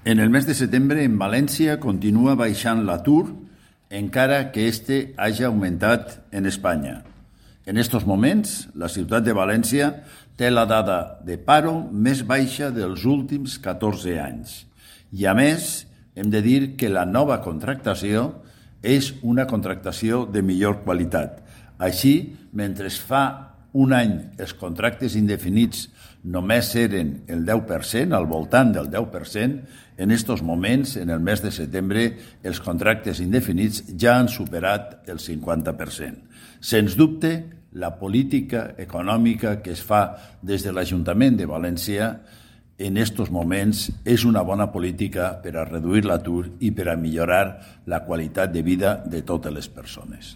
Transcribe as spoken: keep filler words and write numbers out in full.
En el mes de setembre, en València, continua baixant l'atur, encara que este hagi augmentat en Espanya. En estos moments, la ciutat de València té la dada de paro més baixa dels últims catorze anys. I, a més, hem de dir que la nova contractació és una contractació de millor qualitat. Així, mentre fa un any els contractes indefinits només eren el deu per cent, al voltant del deu per cent, en estos moments, en el mes de setembre, els contractes indefinits ja han superat el cinquanta per cent. Sens dubte, la política econòmica que es fa des de l'Ajuntament de València en estos moments és una bona política per a reduir l'atur i per a millorar la qualitat de vida de totes les persones.